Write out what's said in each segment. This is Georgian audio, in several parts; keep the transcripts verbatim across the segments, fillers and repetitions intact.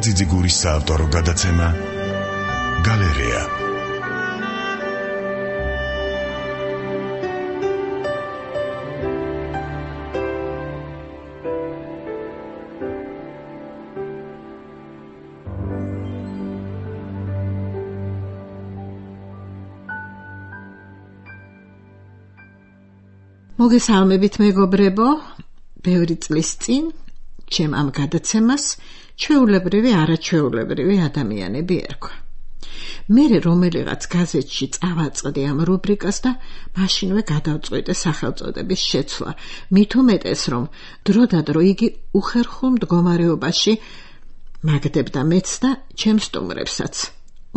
ძიძიგურის საავტორო გადაცემა გალერეა. მოგესალმებით მეგობრებო, ბევრი წლის წინ ჩემ ამ გადაცემას ჩვეულებრივი არაჩვეულებრივი ადამიანები ერქვა. მერე რომელიღაც გაზეთში წავაწყდი ამ რუბრიკას და მაშინვე გადავწყვიტე სახელწოდების შეცვლა, მით უმეტეს რომ დროდადრო იგი უხერხულ მდგომარეობაში მაგდებდა მეც და ჩემ სტუმრებსაც.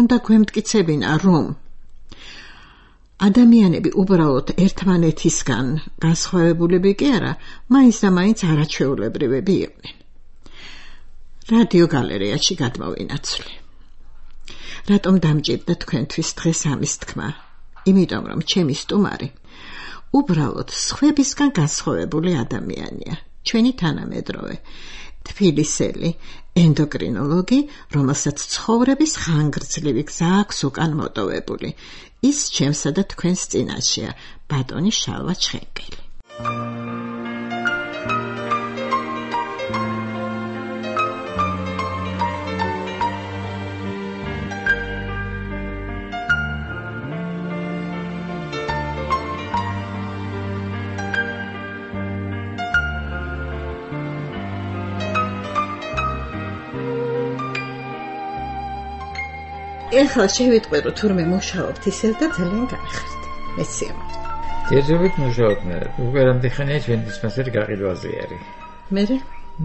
უნდა გვემტკიცებინა რომ ადამიანები უბრალოდ ერთმანეთისგან განსხვავებულები კი არა, მაინც და მაინც არაჩვეულებრივები იყვნენ. რადიო გალერეაში გადმოვინაცვლი. რატომ დამჭირდა თქვენთვის დღეს ამის თქმა? იმიტომ რომ ჩემი სტუმარი უბრალოდ სხვებისგან განსხვავებული ადამიანია, ჩვენი თანამედროვე, თბილისელი ენდოკრინოლოგი, რომელსაც ცხოვრების ხანგრძლივი გზა აქვს უკან მოტოვებული. ის ჩემსა და თქვენს წინაშეა, ბატონი შალვა ჩხენკელი. ეხლა შევიტყვი რომ თურმე მუშაობთ ისევ და ძალიან განახართ. მეცემოთ. ჯერჯერობით მუშაობთ მე. უკვე რამდენიხანია ჩვენი დისპანსერი გაყიდვაზე არის. მერე?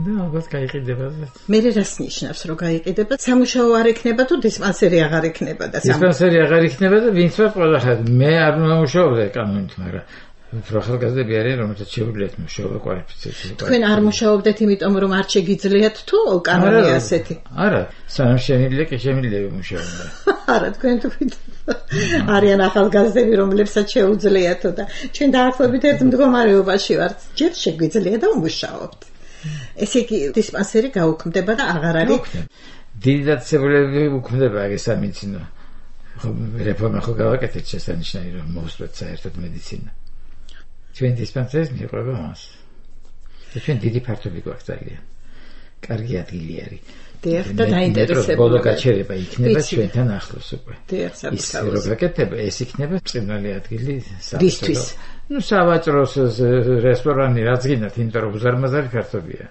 და ალბათ გაიყიდება. მერე რას ნიშნავს რომ გაიყიდება? სამუშაო არ იქნება თუ დისპანსერი აღარ იქნება და დისპანსერი აღარ იქნება და ვინც ვარ ყველა ხარ. მე არ მომუშაობ კანონით, მაგრამ ახალგაზრდები არიან, რომელთაც შეუძლიათ მუშაობა კვალიფიცირებული. თქვენ არ მუშაობდეთ იმიტომ რომ არ შეგიძლიათ თუ კანონია ასეთი? არა, სანამ შემიძლია კი შემიძლია მუშაობა. არა, თქვენ თქვით არიან ახალგაზრდები, რომლებსაც შეუძლიათ და ჩვენ დაახლოებით ერთ მდგომარეობაში ვართ. ჯერ შეგვიძლია და ვმუშაობთ. ესე იგი დისპანსერი გაუქმდება და აღარ არის. დიდი დაწესებულებები უქმდება ეს სამედიცინო. რეფორმა ხო გავაკეთეთ შესანიშნავი რომ მოვსწრეთ საერთოდ მედიცინა. ჩვენ დისპანსერის მიყვება მას. და ჩვენ დიდი ფართობი გვაქვს ძალიან. კარგი ადგილი არის. დიახ, და დაინტერესებული. ბოლო გაჩერება იქნება ჩვენთან ახლოს უკვე. დიახ, საბჭოა. ის როგაკეთება, ეს იქნება ბრწყინვალე ადგილი საბჭოს. ნუ სავაჭროს რესტორანი რაც გინდათ, იმიტომ რომ უზარმაზარი ფართობია.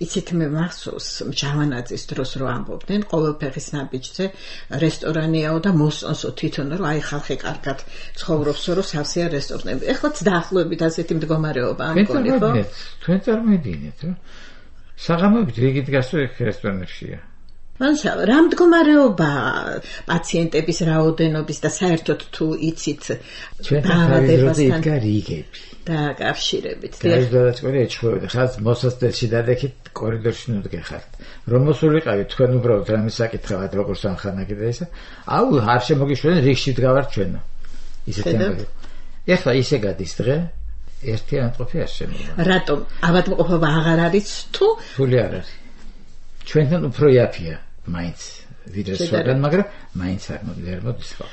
იცით მე მახსოვს ჯავანაძის დროს რო ამბობდნენ ყოველ ფეხის ნაბიჯზე რესტორანიაო და მოსწონსო თვითონ რომ აი ხალხი კარგად ცხოვრობსო რომ სავსეა რესტორნები. ეხლაც დაახლოებით ასეთი მდგომარეობა ამ გონი ხო? თქვენ წარმოიდგინეთ რომ საღამოებით რიგით გასულ რესტორნებშია. მანსა რა მდგომარეობა პაციენტების რაოდენობის და საერთოდ თუ იცით ჩვენთან იდგა რიგები და კავშირებით. გაიზარდა ეჩხუბებოდა ხალხს მოსასწრებში დადექით კორიდორში ნუდგეხართ. რომ მოსულიყავით თქვენ უბრალოდ რამე საკითხავთ როგორც ამხანაგი და ისა. აუ არ შემოგიშვენ რიგში დგავართ ჩვენო. ისეთი ამბავი. ეხლა ისე გადის დღე ერთიანყოფი არ შემოვა. რატომ ავადმყოფობა აღარ არის თუ ფული არ არის. ჩვენთან უფრო იაფია მაინც ვიდრე სხვაგან, მაგრამ მაინც არ მოგდერ მოდის ხო.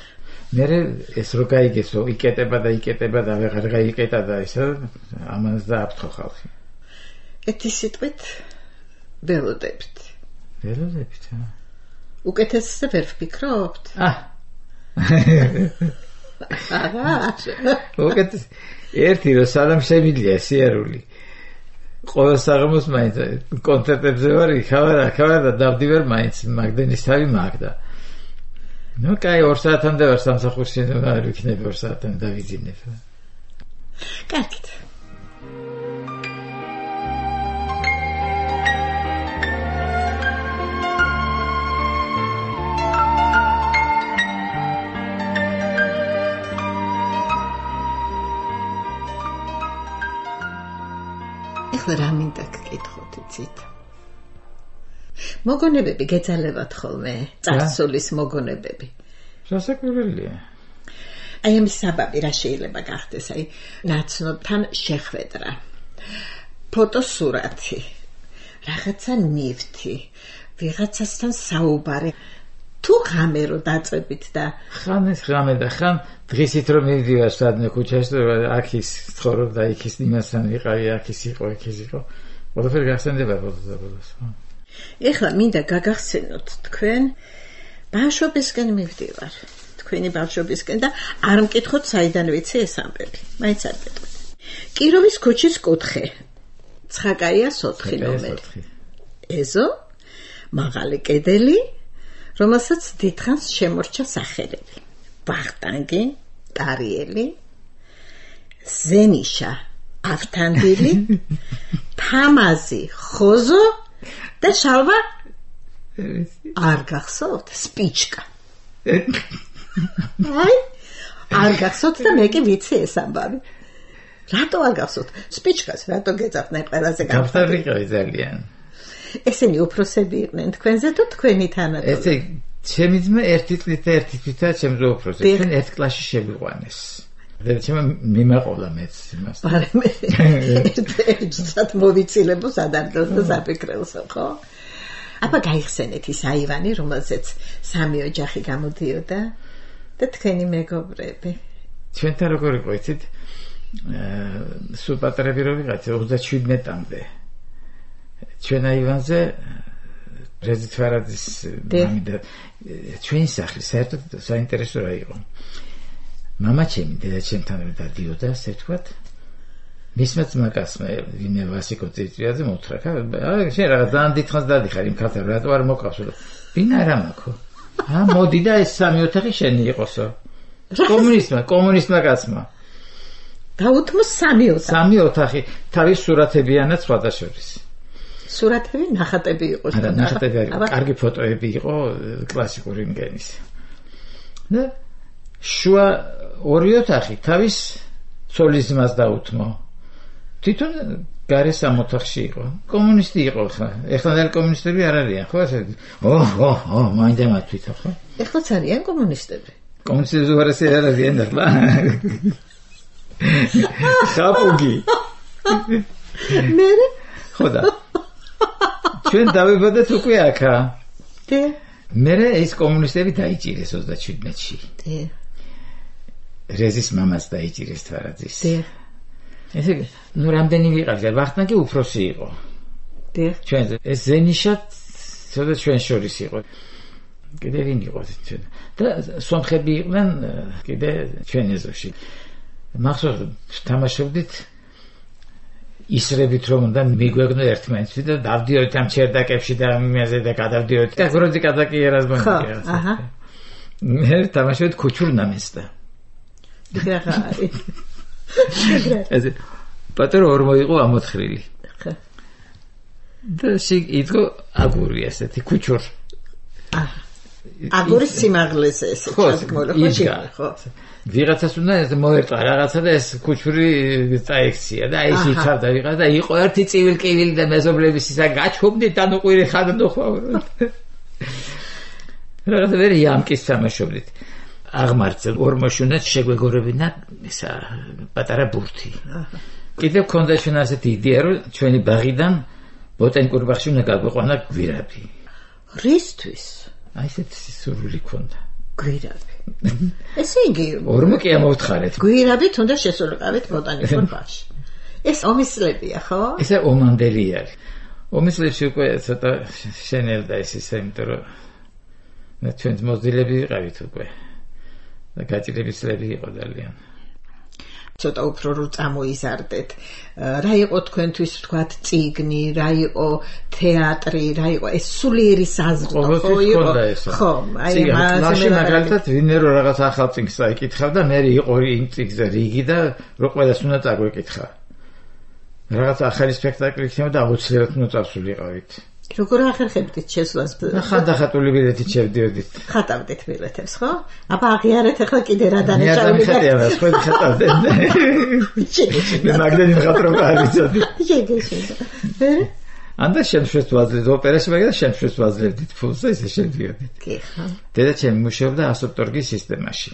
მერე ეს რო გაიგესო იკეტება და იკეტება და აღარ გაიკეტა და ისა ამას დააფრთხო ხალხი. ეთი სიტყვით ველოდებით. ველოდებით. უკეთესზე ვერ ვფიქრობთ? აა. აა. უკეთეს ერთი რო სალამ შემიძლია სიარული. ყოველ საღამოს მაინც კონცერტებზე ვარ, იქავარ, აქავარ და დავდივარ მაინც მაგდენის თავი მაგდა. ნუ კაი ორ საათამდე ვარ სამსახურში, არ ვიქნები ორ საათამდე დავიძინებ. კარგით. ეხლა რა მინდა გკითხოთ იცით? მოგონებები გეძალებათ ხოლმე, წარსულის მოგონებები. სასაკვირველია. აი ამის საბაბი რა შეიძლება გახდეს, აი ნაცნობთან შეხვედრა, ფოტოსურათი, რაღაცა ნივთი, ვიღაცასთან საუბარი თუ ღამე რო დაწებით და ხან ეს ღამე და ხან დღისით რომ მივდივარ სადმე ქუჩაში აქ ის ცხოვრობდა იქ ის იმასთან ვიყავი აქ ის იყო იქ ის იყო ყველაფერი გახსენდება ბოლოს. ეხლა მინდა გაგახსენოთ თქვენ ბავშვობისკენ მივდივარ თქვენი ბავშვობისკენ და არ მკითხოთ საიდან ვიცი ეს ამბები მაინც არ გეტყვით. კიროვის ქუჩის კუთხე ცხაკაიას ოთხი ნომერი ეზო მაღალი კედელი რომელსაც დიდხანს შემორჩა სახელები ვახტანგი ტარიელი ზენიშა ავთანდილი თამაზი ხოზო და შალვა არ გახსოვთ სპიჩკა აი არ გახსოვთ და მე კი ვიცი ეს ამბავი რატო არ გახსოვთ სპიჩკას რატო გეძახდნენ ყველაზე გამხდარიყავი ძალიან ესენი უფროსები იყვნენ თქვენზე თუ თქვენი თანატოლი ესე ჩემი ძმა ერთი წლით და ერთი თვითა ჩემზე უფროსი ჩვენ ერთ კლასში შევიყვანეს და ჩემ მიმაყოლა მეც იმას არა მე ერთად მოვიცილებო სადარდოს და საფიქრელს ხო აბა გაიხსენეთ ის აივანი რომელზეც სამი ოჯახი გამოდიოდა და თქვენი მეგობრები ჩვენთან როგორ იყო იცით სულ პატარები რო ვიყავით ოცდაშვიდმეტამდე ჩვენ აივანზე რეზით ვარაძის მამი და ჩვენი სახლი საერთოდ საინტერესო რა იყო მამა ჩემი დედა ჩემთან დადიოდა ასე ვთქვათ მისმა ძმაკაცმა ვინმე ვასიკო წიწვიაძე მოთხრა აი შენ რაღაც ძალიან დიდხანს დადიხარ იმ ქალთან რატო არ მოკავსო ვინ არა მაქო ა მოდი და ეს სამი ოთახი შენი იყოსო კომუნისტმა კომუნისტმა კაცმა დაუთმო სამი ოთახი სამი ოთახი თავის სურათებიანაც სხვადასხვის სურათები ნახატები იყო არა ნახატები არ იყო კარგი ფოტოები იყო კლასიკური მგენის და შუა ორი ოთახი თავის ცოლის ძმას დაუთმო თვითონ გარე სამ ოთახში იყო კომუნისტი იყო ხა ეხლა კომუნისტები არ არიან ხო ასე ო ო ო მაინდა მათვითო ხო ეხლაც არიან კომუნისტები კომუნისტები უარესი არ არიან ახლა ხაპუგი მე ხოდა ჩვენ დავიბადეთ უკვე აქა დე მე ეს კომუნისტები დაიჭირეს ოცდაშვიდმეტში დე რეზის მამას დაიჭირეს თვარაძის დე ესე ნუ რამდენი ვიყავდა ვახტანგი უფროსი იყო დე ჩვენ ეს ზენიშად ცოტა ჩვენ შორის იყო კიდე ვინ იყო ჩვენ და სომხები იყვნენ კიდე ჩვენ ეზოში მახსოვს თამაშობდით ისრებით რომ უნდა მიგვეგნო ერთმანეთს და დავდიოდით ამ ჩერდაკებში და იმაზე და გადავდიოდით და გროძი კადაკი ერაზბანი აჰა მე თამაშობთ ქუჩურ ნამესტა გრაღა ეს პატარა ორმო იყო ამოთხრილი ხა და სიგ იყო აგური ასეთი ქუჩურ აჰა აგურის სიმაღლეზე ესე ჩადგმოლა ხო ვიღაცას უნდა ეს მოერტყა რაღაცა და ეს ქუჩური წაექცია და ის იცავდა ვიღაც და იყო ერთი ცივილკივილი და მეზობლების ისა გაჩხობდით და ნუყვირი ხადო ხვავროთ რაღაცა ვერ იამკის თამაშობდით აღმართზე ორმოშუნეთ შეგვეგორებინა ისა პატარა ბურთი კიდევ ქონდა ჩვენ ასეთი იდეა რომ ჩვენი ბაღიდან ბოტანიკურ ბაღში უნდა გაგვიყვანა გვირაბი რისთვის აი ესეთი სურვილი ქონდა გვირაბი ესე იგი ორმო კი ამოვთხარეთ გვირაბით უნდა შესულიყავით ბოტანიკურ ბაღში ეს ომისლებია ხო ესე ომანდელი არის ომისლებში უკვე ცოტა შენელდა ეს ისე იმიტომ რომ მე ჩვენ მოზილები ვიყავით უკვე და გაჭირებისლები იყო ძალიან ცოტა უფრო რო წამოიზარდეთ რა იყო თქვენთვის ვთქვათ წიგნი რა იყო თეატრი რა იყო ეს სულიერი საზღვა ხო იყო ხო აი მასე მაგალითად ვინმე რო რაღაც ახალ წიგნს წაიკითხავდა მე იყო იმ წიგნზე რიგი და რო ყველას უნდა წაგვეკითხა რაღაც ახალი სპექტაკლი იქნება და აუცილებლად უნდა წავსულიყავით როგორ ახერხებდით შესვლას ხანდახატული ბილეთით შევდიოდით ხატავდით ბილეთებს ხო აბა აღიარეთ ახლა კიდე რა დანაშაული და მე არ ხო ხატავდნენ მე მაგდენი ხატრობ არიცოდი შეგეშინდა ანდა შემშვეს ვაძლევთ ოპერაში მაგას შემშვეს ვაძლევდით ფულს და ისე შევდიოდით კი ხო დედა ჩემი მუშაობდა ასოპტორგის სისტემაში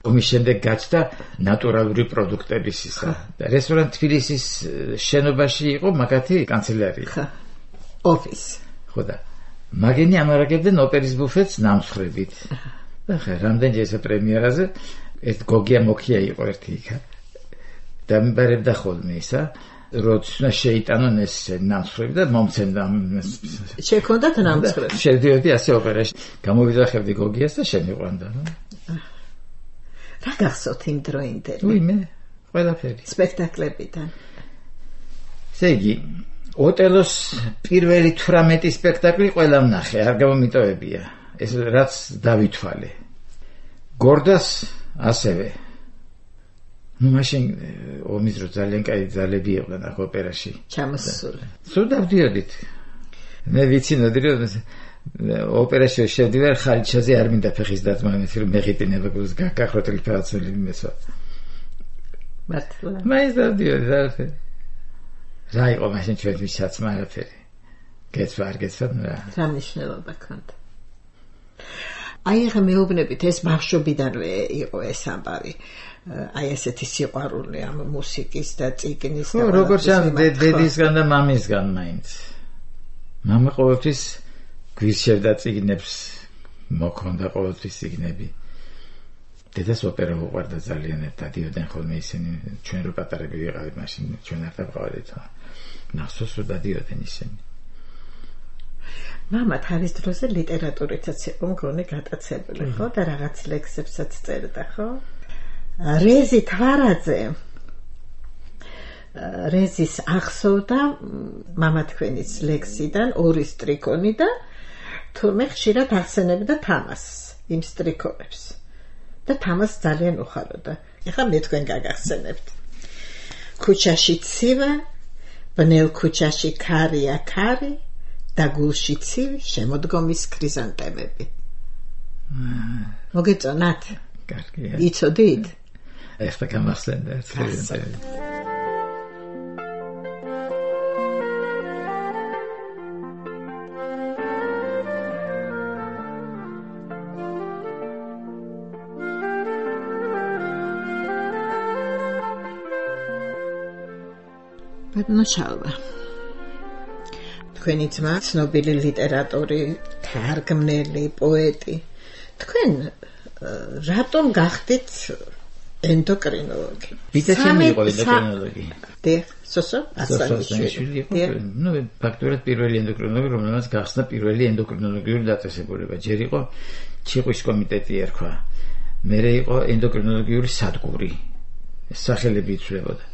ომის შემდეგ გაჩნდა ნატურალური პროდუქტების ისა და რესტორან თბილისის შენობაში იყო მაგათი კანცელარია ოფის ხო და მაგენი ამარაგებდნენ ოპერის ბუფეტს ნამსხრებით. და ხა რამდენჯერზე პრემიერაზე ეს გოგია მოქია იყო ერთი იქა. და მიბარებდა ხოლმე ისა, როცა შეიტანონ ეს ნამსხრები და მომცემდა. შეგქონდათ ნამსხრები? შედიოდი ასე ოპერაში. გამოვიძახებდი გოგიას და შემიყვანდა. რა გახსოვთ იმ დროინდელი? უიმე, ყველაფერი. სპექტაკლებიდან. ესე იგი, ოტელოს პირველი თვრამეტი სპექტაკლი ყველა ვნახე, არ გამომიტოვებია. ეს რაც დავითვალე. გორდას ასევე. ну მაშინ ომის დრო ძალიან კაი ძალები იყვნენ ახ ოპერაში. ჩამოსული. სულ დავდიოდით. მე ვიცინოდი რომ ოპერაში შევდივარ ხალიჩაზე არ მინდა ფეხის დათმა, რომ მეღიტინება გულს გაკახროტილი ფაცული მესვა. მართლა. მაინც დავდიოდი და რა იყო მაშინ ჩვენთვის საცმა არაფერი. გეცვა არ გეცვა რა. რა მნიშვნელობა ქონდა. აი ახლა მეუბნებით ეს ბავშვობიდანვე იყო ეს ამბავი. აი ესეთი სიყვარული ამ მუსიკის და წიგნის და როგორც ამ დედისგან და მამისგან მაინც. მამა ყოველთვის გვირჩევდა წიგნებს, მოქონდა ყოველთვის წიგნები. დედას ოპერა უყვარდა ძალიან, დადიოდნენ ხოლმე ისინი, ჩვენ რო პატარები ვიყავით მაშინ, ჩვენ არ დავყავდით. ნახსოვს რომ დადიოდნენ ისინი. მამა თავის დროზე ლიტერატურითაც იყო მგონი გატაცებული, ხო? და რაღაც ლექსებსაც წერდა, ხო? რეზი თვარაძე რეზის ახსოვდა მამა თქვენის ლექსიდან ორი სტრიქონი და თურმე ხშირად ახსენებდა თამასს, იმ სტრიქონებს. და თამას ძალიან უხაროდა. ეხლა მე თქვენ გაგახსენებთ. ქუჩაში ცივა, ბნელ ქუჩაში ქარია ქარი და გულში ცივი შემოდგომის ქრიზანტემები. მოგეწონათ? კარგია. იცოდით? ეხლა გამახსენდა ეს ქრიზანტემები. ბატონო თქვენი ძმა ცნობილი ლიტერატორი, თარგმნელი, პოეტი. თქვენ რატომ გახდით ენდოკრინოლოგი? ბიძაჩემი იყო ენდოკრინოლოგი. დიახ, სოსო ასანიშვილი. ну, ფაქტობრივად პირველი ენდოკრინოლოგი, რომელმაც გახსნა პირველი ენდოკრინოლოგიური დაწესებულება. ჯერ იყო ჩიყვის კომიტეტი ერქვა. მერე იყო ენდოკრინოლოგიური სადგური. ეს სახელები იცვლებოდა.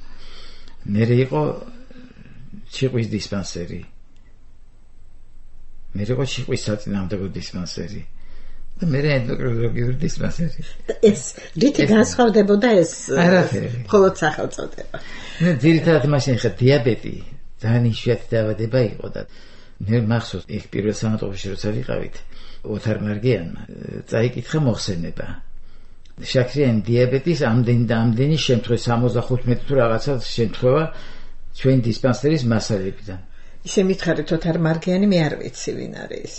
მერე იყო ჩიყვის დისპანსერი. მერე იყო ჩიყვის საწინააღმდეგო დისპანსერი. და მერე ენდოკრინოლოგიური დისპანსერი. ეს რითი განსხვავდებოდა ეს მხოლოდ სახელწოდება? ნუ ძირითადად მაშინ ხა დიაბეტი ძალიან იშვიათი დაავადება იყო და მე მახსოვს იქ პირველ სანატორიაში როცა ვიყავით ოთარ მარგიანმა წაიკითხა მოხსენება. შაქრიანი დიაბეტის ამდენი და ამდენი შემთხვევა სამოცდახუთმეტი თუ რაღაცა შემთხვევა ჩვენ დისპანსერის მასალებიდან. ისე მითხარით ოთარ მარგიანი, მე არ ვიცი ვინ არის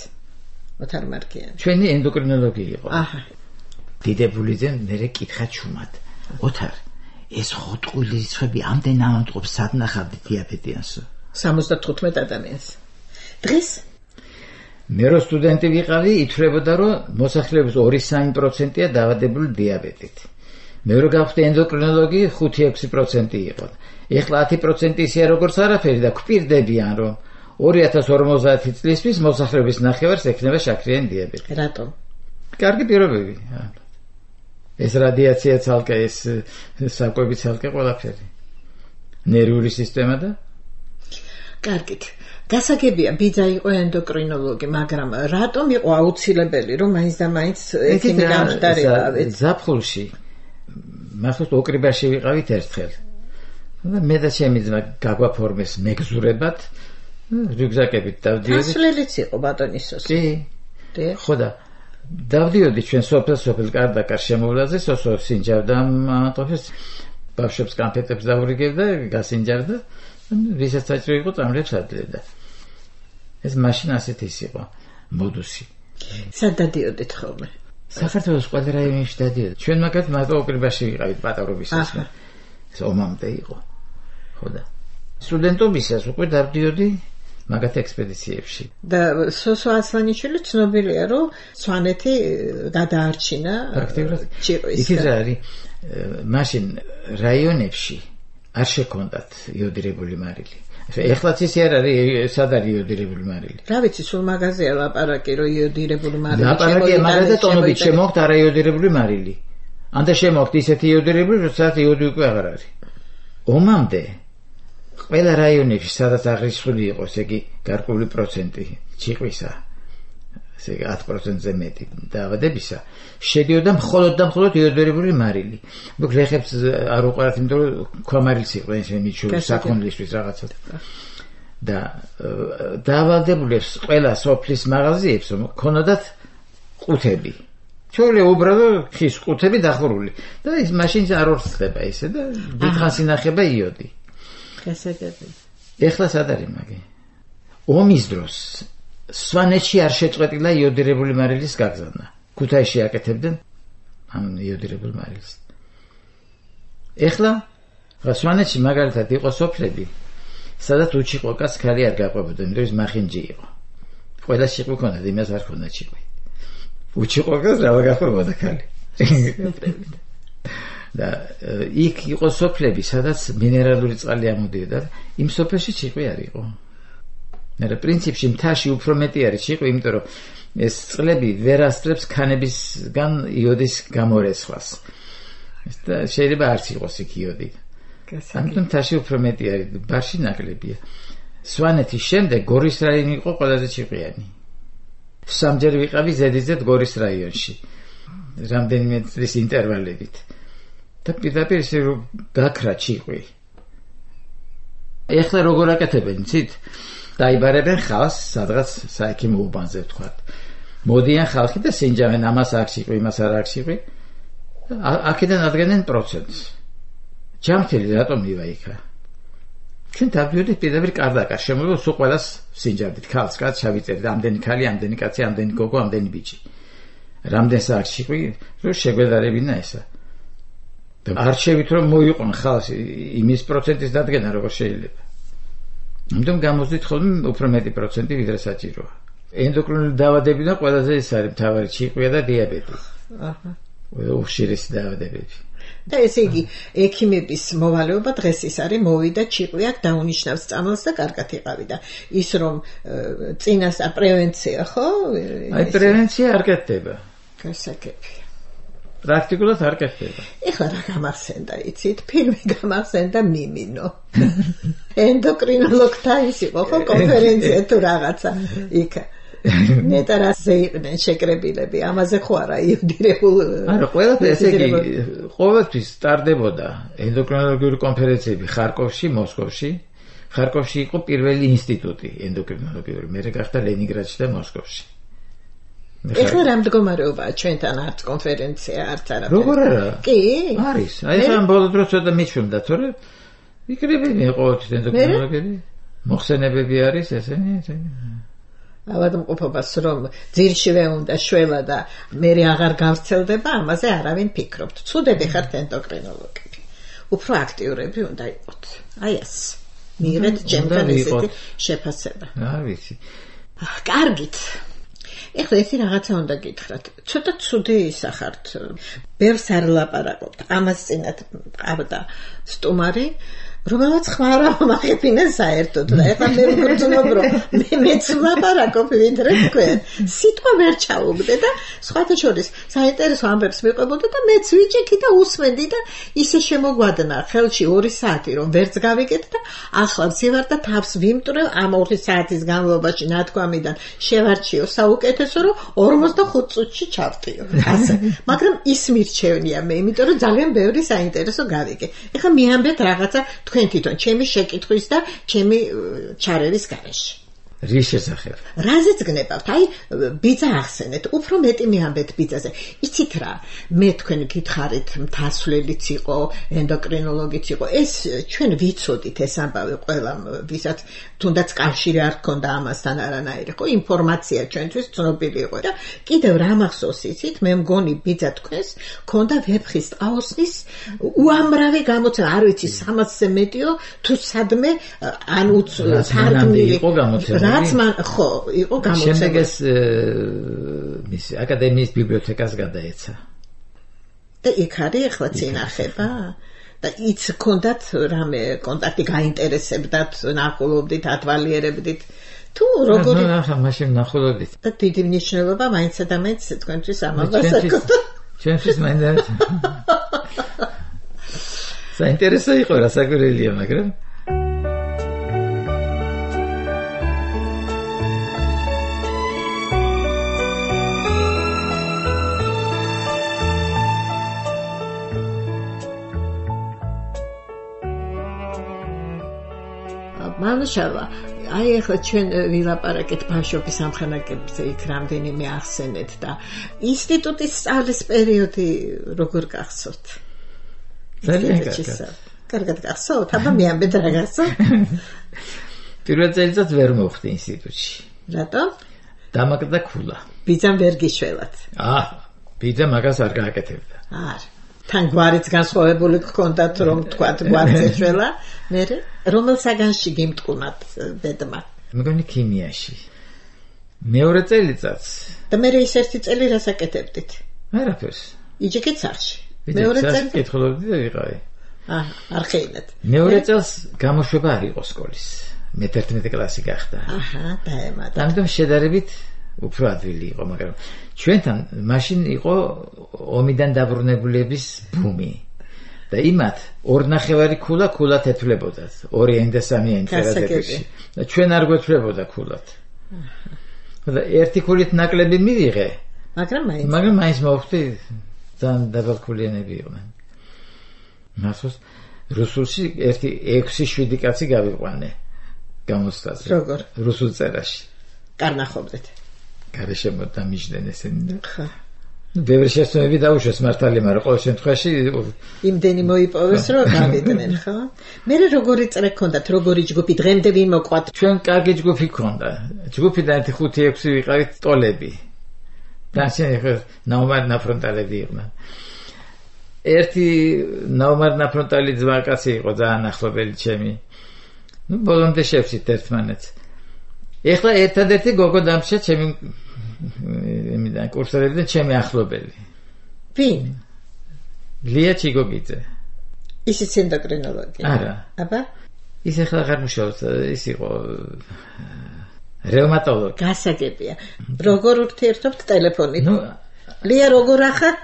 ოთარ მარგიანი. ჩვენი ენდოკრინოლოგი იყო. აჰა. დიდებულიძემ მერე კითხა ჩუმად. ოთარ, ეს ხოტყული რიცხვები ამდენ ამოტყობს სად ნახავდი დიაბეტიანსო? სამოცდათხუთმეტ ადამიანს. დღეს მე რო სტუდენტი ვიყავი, ითვლებოდა რომ მოსახლეობის ორი სამი პროცენტია დაავადებული დიაბეტით. მე რო გავხდი ენდოკრინოლოგი, ხუთი ექვსი პროცენტი იყო. ეხლა ათი პროცენტი ისეა როგორც არაფერი და გვპირდებიან რომ ორი ათას ორმოცდაათი წლისთვის მოსახლეობის ნახევარს ექნება შაქრიანი დიაბეტი. რატომ? კარგი პირობები. ეს რადიაცია ცალკე, ეს საკვები ცალკე ყველაფერი. ნერვული სისტემა და კარგით. გასაგებია ბიძა იყო ენდოკრინოლოგი, მაგრამ რატომ იყო აუცილებელი რომ მაინც და მაინც ექიმი გამხდარიყავით? ზაფხულში მახსოვს ოკრიბაში ვიყავით ერთხელ. და მე და ჩემი ძმა გაგვაფორმეს მეგზურებად, რიუგზაკებით დავდიოდით. ასლელიც იყო ბატონისოს. კი. ხო და დავდიოდი ჩვენ სოფელ სოფელ კარდაკარ შემოვლაზე, სოსო სინჯავდა ამატოფეს, ბავშვებს კანფეტებს დაურიგებდა, გასინჯავდა. ვისაც საჭირო იყო წამლებს ადლებდა. ეს მაშინ ასეთ ის იყო მოდუსი. სად დადიოდით ხოლმე? საქართველოს ყველა რაიონში დადიოდი. ჩვენ მაგათ მარტო ოკრიბაში ვიყავით პატარობისას. ეს ომამდე იყო. ხო და სტუდენტობისას უკვე დავდიოდი მაგათ ექსპედიციებში. და სოსო ასლანიშვილი ცნობილია, რომ სვანეთი გადაარჩინა ჭიყვის. იქ რა არის? მაშინ რაიონებში არ შექონდათ იოდირებული მარილი. ეხლაც ისე არ არის, სად არის იოდირებული მარილი? რა ვიცი, სულ მაგაზია ლაპარაკი, რომ იოდირებული მარილი ლაპარაკი მაგაზე ტონობით შემოხთ არაიოდირებული მარილი. ანდა შემოხთ ისეთი იოდირებული, როდესაც იოდი უკვე აღარ არის. ომამდე ყველა რაიონებში, სადაც აღრიცხული იყო, ესე იგი გარკვეული პროცენტი ჭიყვისა, ესე იგი ათი პროცენტზე მეტი დაავადებისა, შედიოდა მხოლოდ და მხოლოდ იოდირებული მარილი. მოკლედ ლეხებს არ უყარათ, იმიტომ რომ ქვამარილს იყვნენ ესენი ჩული საქონლისთვის რაღაცა. და დაავადებულებს ყველა სოფლის მაღაზიებს ქონოდათ ყუთები. ჩოლე უბრალოდ ხის ყუთები დახურული. და ის მაშინ არ ორსდება ესე და დიდხანს ინახება იოდი. გასაგები. ეხლა სად არის მაგე? ომის დროს სვანეთში არ შეწყვეტილა იოდირებული მარილის გაგზავნა. ქუთაისში აკეთებდნენ ამ იოდირებულ მარილს. ეხლა სვანეთში მაგალითად იყო სოფლები, სადაც უჩიყვაკას ქალი არ გაყვებოდა, იმიტომ რომ ის მახინჯი იყო. ყველა ჭიყვი ქონდა, იმას არ ქონდა ჭიყვი. უჩიყვაკას რა გაყვებოდა ქალი. და იქ იყო სოფლები, სადაც მინერალური წყალი ამოდიოდა, იმ სოფელში ჭიყვი არ იყო. მაგრამ პრინციპში მთაში უფრო მეტი არის ჭიყვი, იმიტომ რომ ეს წყლები ვერ ასწრებს ქანებისგან იოდის გამორეცხვას. და შეიძლება არც იყოს იქ იოდი. ამიტომ მთაში უფრო მეტი არის, ბარში ნაკლებია. სვანეთის შემდეგ გორის რაიონი იყო ყველაზე ჭიყვიანი. სამჯერ ვიყავი ზედიზედ გორის რაიონში. რამდენიმე წლის ინტერვალებით. და პირდაპირ ისე რომ გაქრა ჭიყვი. ეხლა როგორ აკეთებენ, იცით? დაიბარებენ ხალხს, სადღაც საექიმო უბანზე ვთქვათ. მოდიან ხალხი და სინჯავენ, ამას აქვს ჭიყვი, იმას არ აქვს ჭიყვი. აქედან ადგენენ პროცენტს. ჯამთელი რატომ მივა იქა? ჩვენ დავდიოდით პირდაპირ კარდაკარ, შემოიღო სულ ყველას სინჯავდით, ხალხს კაც ჩავიწერდით, ამდენი ქალი, ამდენი კაცი, ამდენი გოგო, ამდენი ბიჭი. რამდენს აქვს ჭიყვი, რომ შეგვედარებინა ესა. და არჩევით რომ მოიყვან ხალხს იმის პროცენტის დადგენა როგორ შეიძლება. ამიტომ გამოძით ხოლმე უფრო მეტი პროცენტი ვიდრე საჭიროა. ენდოკრინული დაავადებიდან ყველაზე ეს არის მთავარი ჭიყვია და დიაბეტი. აჰა. უხშირესი დაავადებები. და ესე იგი ექიმების მოვალეობა დღეს ის არის მოვიდა ჭიყვი აქ დაუნიშნავს წამალს და კარგად იყავი და ის რომ წინასწარ პრევენცია ხო? აი პრევენცია არ კეთდება. გასაგები. პრაქტიკულად არ კეთდება. ეხლა რა გამახსენდა, იცით? ფილმი გამახსენდა მიმინო. ენდოკრინოლოგთა ის იყო ხო კონფერენცია თუ რაღაცა იქ. ნეტა რაზე იყვნენ შეკრებილები, ამაზე ხო არა იოდირებულ. არა, ყველაფერი ესე იგი ყოველთვის სტარდებოდა ენდოკრინოლოგიური კონფერენციები ხარკოვში, მოსკოვში. ხარკოვში იყო პირველი ინსტიტუტი ენდოკრინოლოგიური, მერე გახდა ლენინგრადში და მოსკოვში. ეხლა რა მდგომარეობაა ჩვენთან არც კონფერენცია, არც არაფერი. როგორ არა? კი? არის. აი ხან ბოლო დროს ცოტა მიჩვენდა, თორე იქნებიან ყოველთვის ენდოკრინოლოგები. მოხსენებები არის ესენი, ესენი. ავადმყოფობას რომ ძირშივე უნდა შველა და მე აღარ გავრცელდება, ამაზე არავინ ფიქრობთ. ცუდები ხართ ენდოკრინოლოგები. უფრო აქტიურები უნდა იყოთ. აი ეს. მიიღეთ ჩემთან ესეთი შეფასება. რა ვიცი. კარგით. ეხლა ერთი რაღაცა უნდა გითხრათ. ცოტა ცუდი ისახართ. ბევრს არ ლაპარაკობთ. ამას წინათ ყავდა სტუმარი, რომელაც ხმარა მაღებინა საერთოდ და ეხლა მე ვგრძნობ რომ მე მეც ლაპარაკობ ვიდრე თქვენ. სიტყვა ვერ ჩაუგდე და სხვათა შორის საინტერესო ამბებს მიყვებოდა და მეც ვიჭიქი და უსმენდი და ისე შემოგვადნა ხელში ორი საათი რომ ვერც გავიგეთ და ახლა ვზივარ და თავს ვიმტვრევ ამ ორი საათის განმავლობაში ნათქვამიდან შევარჩიო საუკეთესო რომ ორმოცდახუთ წუთში ჩავტიო. ასე. მაგრამ ის მირჩევნია მე, იმიტომ რომ ძალიან ბევრი საინტერესო გავიგე. ეხლა მიამბეთ რაღაცა თქვენ თვითონ ჩემი შეკითხვის და ჩემი ჩარევის გარეშე. რის შესახებ? რაზეც გნებავთ? აი, ბიძა ახსენეთ, უფრო მეტი მიამბეთ ბიძაზე. იცით რა, მე თქვენ გითხარით, მთასვლელიც იყო, ენდოკრინოლოგიც იყო. ეს ჩვენ ვიცოდით ეს ამბავი ყველამ, ვისაც თუნდაც კავშირი არ ჰქონდა ამასთან არანაირი, ხო, ინფორმაცია ჩვენთვის ცნობილი იყო და კიდევ რა მახსოვს იცით, მე მგონი ბიძა თქვენს ქონდა ვეფხის ტყაოსნის უამრავი გამოცემა, არ ვიცი სამასზე მეტიო, თუ სადმე ან თარგმნილი იყო გამოცემული. რაც მან ხო იყო გამოცემული. შემდეგ ეს მის აკადემიის ბიბლიოთეკას გადაეცა. და იქ არის ახლა წინახება და იც კონდათ რამე კონტაქტი გაინტერესებდათ, ნახულობდით, ათვალიერებდით. თუ როგორი ნუ ახლა მაშინ ნახულობდით. და დიდი მნიშვნელობა მაინც და მაინც თქვენთვის ამას აკეთებდა. ჩვენთვის მაინც საინტერესო იყო რა საკვირველია, მაგრამ მანუშავა, აი ახლა ჩვენ ვილაპარაკეთ ბავშვობის ამხანაგებზე, იქ რამდენიმე ახსენეთ და ინსტიტუტის სწავლის პერიოდი როგორ გახსოვთ? ძალიან კარგად. კარგად გახსოვთ? აბა მეამბეთ რა გახსოვთ? პირველ წელიწადს ვერ მოვხდი ინსტიტუტში. რატომ? დამაგდა ქულა. ბიძამ ვერ გიშველათ. აა, ბიძა მაგას არ გააკეთებდა. არა. თან გვარიც განსხვავებული გქონდათ, რომ თქვათ გვარიც ეშველა, მე რომელ საგანში გიმტყუნათ ბედმა? მეგონი ქიმიაში. მეორე წელიწადს. და მე ის ერთი წელი რას აკეთებდით? არაფერს. იჯეკეთ სახში. მეორე წელი კითხულობდი და ვიყავი. აა, არ ხეინეთ. მეორე წელს გამოშვება არ იყო სკოლის. მე თერთმეტი კლასი გახდა. აჰა, დაემატა. ამიტომ შედარებით უფრო ადვილი იყო, მაგრამ ჩვენთან მაშინ იყო ომიდან დაბრუნებულების ბუმი. და იმათ ორნახევარი ქულა ქულად ეთვლებოდათ. ორი ენ და სამი ენ წერადებში. და ჩვენ არ გვეთვლებოდა ქულად. და ერთი ქულით ნაკლები მივიღე. მაგრამ მაინც მაგრამ მაინც მოვხდი ძალიან დაბალქულიანები იყვნენ. მახსოვს რუსულში ერთი ექვსი შვიდი კაცი გავიყვანე გამოსვლაზე. როგორ? რუსულ წერაში. კარნახობდეთ. გარეშემო დამიჯდნენ ესენი და ხა. ბევრი შესწავლები დაუშვეს მართალი, მაგრამ ყოველ შემთხვევაში იმდენი მოიპოვეს, რომ გავიდნენ, ხო? მე როგორი წრე გქონდათ, როგორი ჯგუფი დღემდე ვინ მოყვათ? ჩვენ კარგი ჯგუფი გქონდა. ჯგუფიდან ერთი ხუთი ექვსი ვიყავით ტოლები. დაშენ ხო ნაუმარ ნაფრონტალები იყვნენ. ერთი ნაუმარ ნაფრონტალი ძმაკაცი იყო ძალიან ახლობელი ჩემი. ნუ ბოლომდე შევცით ერთმანეთს. ეხლა ერთადერთი გოგო დამშა ჩემი იმიდან კურსორებიდან ჩემი ახლობელი. ვინ? ლია ჩიგოგიძე. ისიც ენდოკრინოლოგი. არა. აბა? ის ეხლა აღარ მუშაობს, ის იყო რევმატოლოგი. გასაგებია. როგორ ურთიერთობთ ტელეფონით? ნუ ლია როგორ ახარ?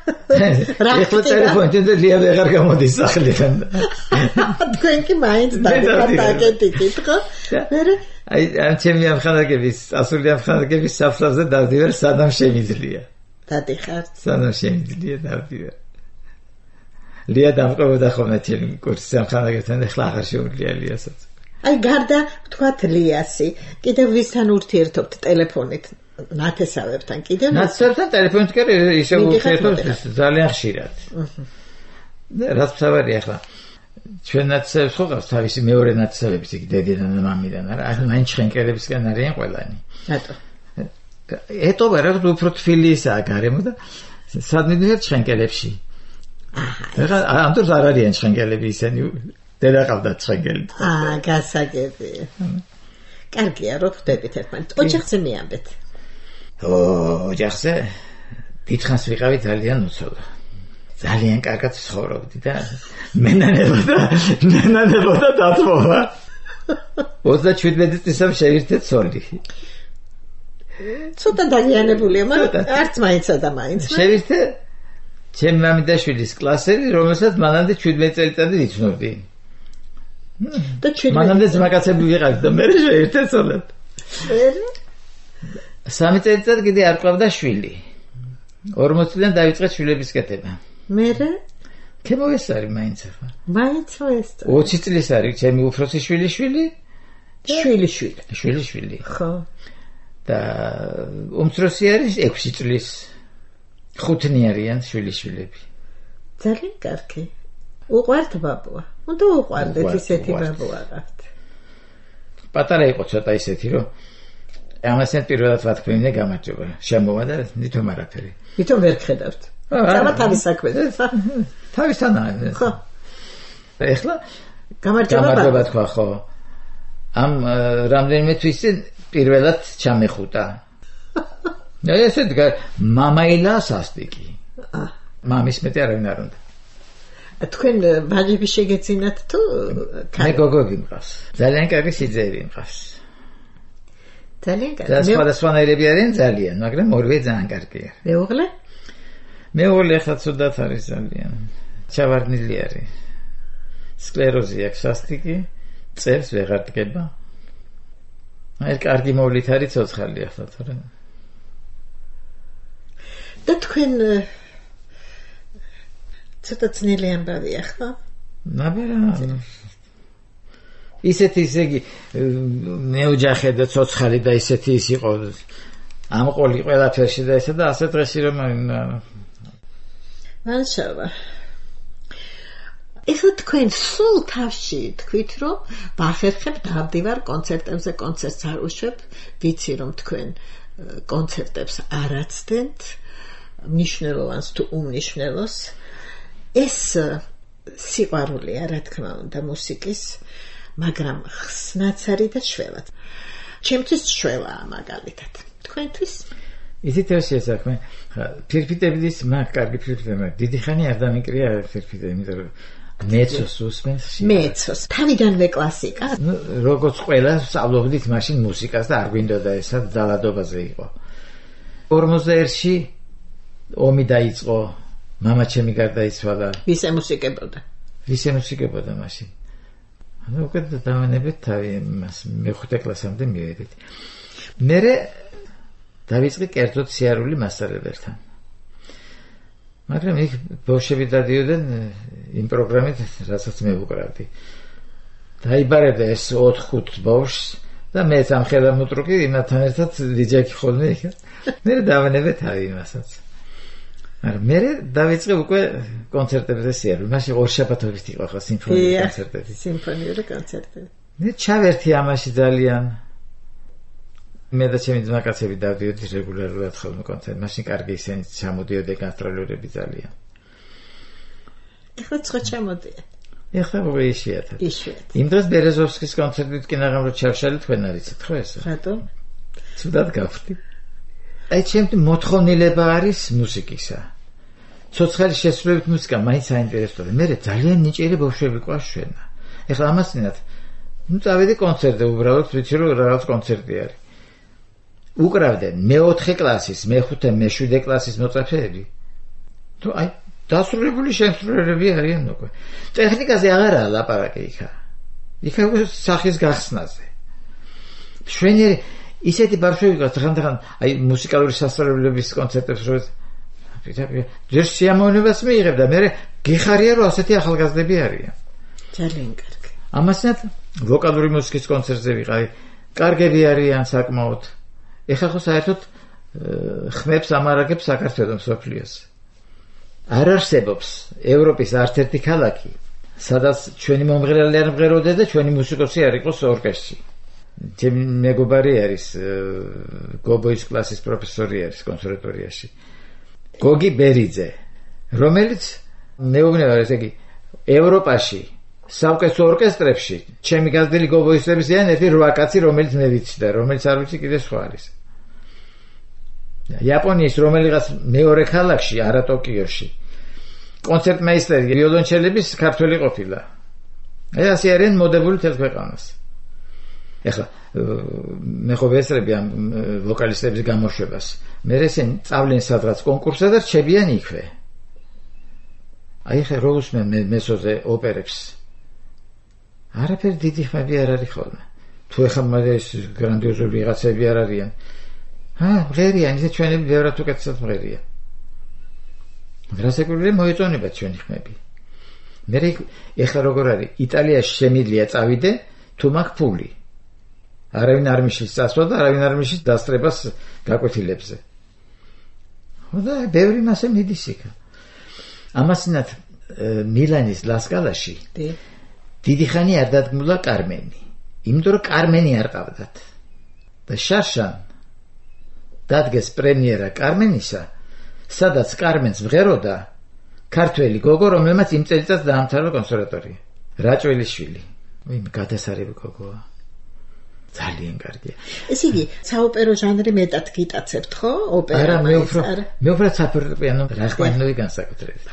რა ხდება? ტელეფონით და ლია ვეღარ გამოდის სახლიდან. თქვენ კი მაინც დაგეკითხეთ, ხო? მე აი ამ ჩემი ამხანაგების, ასული ამხანაგების საფლავზე დავდივარ, სადამ შემიძლია. დადიხართ. სადამ შემიძლია დავდივარ. ლია დამყובდა ხოლმე ჩემი კურსის ამხანაგებთან, ეხლა აღარ შეუძლია ლიასაც. აი გარდა თქვათ ლიასი, კიდევ ვისთან ურთიერთობთ ტელეფონით? ნათესავებთან კიდევ? ნათესავებთან ტელეფონით კი ისე ურთიერთობთ ძალიან ხშირად. და რაც თავარი ახლა ჩვენ ნათესავებს ხო ყავს თავისი მეორე ნათესავების იქ დედიდან და მამიდან, არა, აი მაინც შენკერებისგან არიან ყველანი. რატო? ეტობა რა უფრო თბილი ისაა გარემო და სადმიდიხარ შენკერებში. აჰა. ეხლა ამ დროს არ არიან შენკერები ისენი დედა ყავდათ შენკერი. აა, გასაგებია. კარგია, რო ხვდებით ერთმანეთს. ოჯახზე მიამბეთ. ოჯახზე დიდხანს ვიყავი ძალიან უცოლო. ძალიან კარგად ცხოვრობდი და მენანებოდა, მენანებოდა დათმობა. ოცდაშვიდმეტი წლისამ შევირთე ცოლი. ცოტა დაგიანებულია, მაგრამ არც მაინცა და მაინც. შევირთე ჩემი მამიდაშვილის კლასელი, რომელსაც მანამდე შვიდმეტი წელიწადი ვიცნობდი. და შვიდმეტი მანამდე ძმაკაცები ვიყავით და მე შევირთე ცოლად. სამი წელიწად კიდე არ ყავდა შვილი. ორმოც წლიდან დაიწყე შვილების კეთება. მერე? ქემოესარი მაინც ახლა. მაინც ეს. ოცი წლის არის ჩემი უფროსი შვილი შვილი შვილი შვილი. შვილი შვილი. ხო. და უმცროსი არის ექვსი წლის. ხუთნი არიან შვილი შვილები. ძალიან კარგი. უყვართ ბაბუა. უნდა უყვარდეთ ისეთი ბაბუა აყავთ. პატარა იყო ცოტა ისეთი, რომ ამასთან პირველად ვათქვი, გამარჯობა. შემოვა და ნითომ არაფერი. ვითომ ვერ ხედავთ. სამა თავის საქმეზე. თავისთანაა. ხო. ეხლა გამარჯობა. გამარჯობა თქვა, ხო. ამ რამდენიმე თვის წინ პირველად ჩამეხუტა. და ესეთ მამაილა სასტიკი. აა. მამის მეტი არავინ არ უნდა. თქვენ ვაჟები შეგეცინათ თუ მე გოგოები მყავს. ძალიან კარგი სიძეები მყავს. ძალიან კარგი. და სხვადასხვანაირები არიან ძალიან, მაგრამ ორივე ძალიან კარგია. მეუღლე? მეუღლე ახლა ცუდად არის ძალიან. ჩავარდნილი არის. სკლეროზი აქვს სასტიკი, წერს ვეღარ დგება. აი კარგი მოვლით არის ცოცხალი ახლა თორემ. და თქვენ ცოტა ძნელი ამბავია ხო? ნაბერა ისეთი ისე იგი მეოჯახე და ცოცხალი და ისეთი ის იყო ამყოლი ყველაფერში და ესა და ასე დღეში რომ მანშავა ეხლა თქვენ სულ თავში თქვით რომ ვახერხებ დავდივარ კონცერტებზე კონცერტს არ უშვებ ვიცი რომ თქვენ კონცერტებს არ აცდენთ მნიშვნელოვანს თუ უმნიშვნელოს ეს სიყვარულია რა თქმა უნდა მუსიკის მაგრამ ხსნაც არის და შველად ჩემთვის შველაა მაგალითად თქვენთვის ისეთ რაშია საქმე ფირფიტების მაგ კარგი ფირფიტები დიდი ხანი არ დამიკრია ფირფიტები იმიტომ რომ მეცოს უსმენს მეცოს თავიდანვე კლასიკა ნუ როგორც ყველა სწავლობდით მაშინ მუსიკას და არ გვინდოდა ესა ძალადობაზე იყო ორმოცდაერთში ომი დაიწყო მამა ჩემი გარდაიცვალა ვის ემუსიკებოდა ვის ემუსიკებოდა მაშინ ანუ უკვე დავანებეთ თავი მას მეხუთე კლასამდე მივედით მერე დავიწყე კერძოდ სიარული მასწავლებელთან მაგრამ იქ ბავშვები დადიოდნენ იმ პროგრამით რასაც მე ვუკრავდი დაიბარებდა ეს ოთხ-ხუთ ბავშვს და მე სამხედრო მოტრუკი იმათთან ერთად დიჯექი ხოლმე იქ მე დავანებეთ თავი იმასაც მაგრამ მე დავიწყე უკვე კონცერტებზე სიარული მაშინ ორშაბათობით იყო ხო სიმფონიური კონცერტები სიმფონიური კონცერტები მე ჩავერთი ამაში ძალიან მე და ჩემი ძმაკაცები დავდიოდით რეგულარულად ხოლმე კონცერტ მაშინ კარგი ისინი ჩამოდიოდნენ გასტროლერები ძალიან ეხლა ცხა ჩამოდიან ეხლა უკვე იშვიათად იშვიათად იმ დროს ბერეზოვსკის კონცერტით კი ნაღამ რო ჩავშალე თქვენ არიცით ხო ესა რატომ ცუდად გავხდი აი ჩემთვის მოთხოვნილება არის მუსიკისა ცოცხალი შესრულებით მუსიკა მაინც საინტერესოა მე ძალიან ნიჭიერი ბავშვები ყავს ჩვენა ეხლა ამასინათ ნუ წავედი კონცერტზე უბრალოდ ვიცი რომ რაღაც კონცერტი არის უკრავდნენ მეოთხე კლასის მეხუთე მეშვიდე კლასის მოწაფეები თუ აი დასრულებული შემსრულებლები არიან უკვე ტექნიკაზე აღარაა ლაპარაკი იქა იქა სახის გახსნაზე შვენიერი ისეთი ბავშვები ყავს ხანდახან აი მუსიკალური სასწავლებლების კონცერტებს რო ჯერ სიამოვნებას მიიღებ და მე გიხარია რომ ასეთი ახალგაზრდები არიან ძალიან კარგი ამასაც ვოკალური მუსიკის კონცერტზე ვიყავი კარგები არიან საკმაოდ ეხლა ხო საერთოდ ხმებს ამარაგებს საქართველოს სოფლიოს არ არსებობს ევროპის არც-ერთი ქალაქი სადაც ჩვენი მომღერალი არ მღეროდა და ჩვენი მუსიკოსი არ იყოს ორკესტრში ჩემი მეგობარი არის გობოის კლასის პროფესორი არის კონსერვატორიაში გოგი ბერიძე რომელიც მეუბნება ესე იგი ევროპაში საუკეთესო ორკესტრებში ჩემი გაზრდილი გობოისტების ზიან ერთი რვა კაცი რომელიც მე ვიცი და რომელიც არ ვიცი კიდე სხვა არის იაპონიის რომელიღაც მეორე ქალაქში არა ტოკიოში კონცერტმეისტერი ვიოლონჩელების ქართველი ყოფილა აი ასე არიან მოდებული თელ ქვეყანას ეხლა მე ხო ვესწრები ამ ვოკალისტების გამოშვებას მე ესენ წავლენ სადღაც კონკურსზე და რჩებიან იქვე აი ხე რო უსმენ მესოზე ოპერებს არაფერი დიდი ხმები არ არის ხოლმე თუ ეხლა მაგ ეს გრანდიოზული ვიღაცები არ არიან ჰა მღერიან ისე ჩვენები ბევრად უკეთესად მღერიან რასაკვირველია მოეწონება ჩვენი ხმები მე ეხლა როგორ არის იტალიაში შემიძლია წავიდე თუ მაქვს ფული არავინ არ მიშლის წასვლა და არავინ არ მიშლის დასწრებას გაკვეთილებზე. და ბევრი მასე მიდის იქ. ამასინათ მილანის ლასკალაში დიდი ხანი არ დადგმულა კარმენი. იმიტომ რომ კარმენი არ ყავდათ. და შარშან დადგეს პრემიერა კარმენისა, სადაც კარმენს ვღეროდა ქართველი გოგო, რომელმაც იმ წელიწადს დაამთავრა კონსერვატორია. რაჭველიშვილი. ვინ გადასარევი გოგოა. ძალიან კარგია. ეს იგი საოპერო ჟანრი მეტად გიტაცებთ, ხო? ოპერა. არა, მე უფრო მე უფრო საფორტეპიანო რახმანინოვი განსაკუთრებით.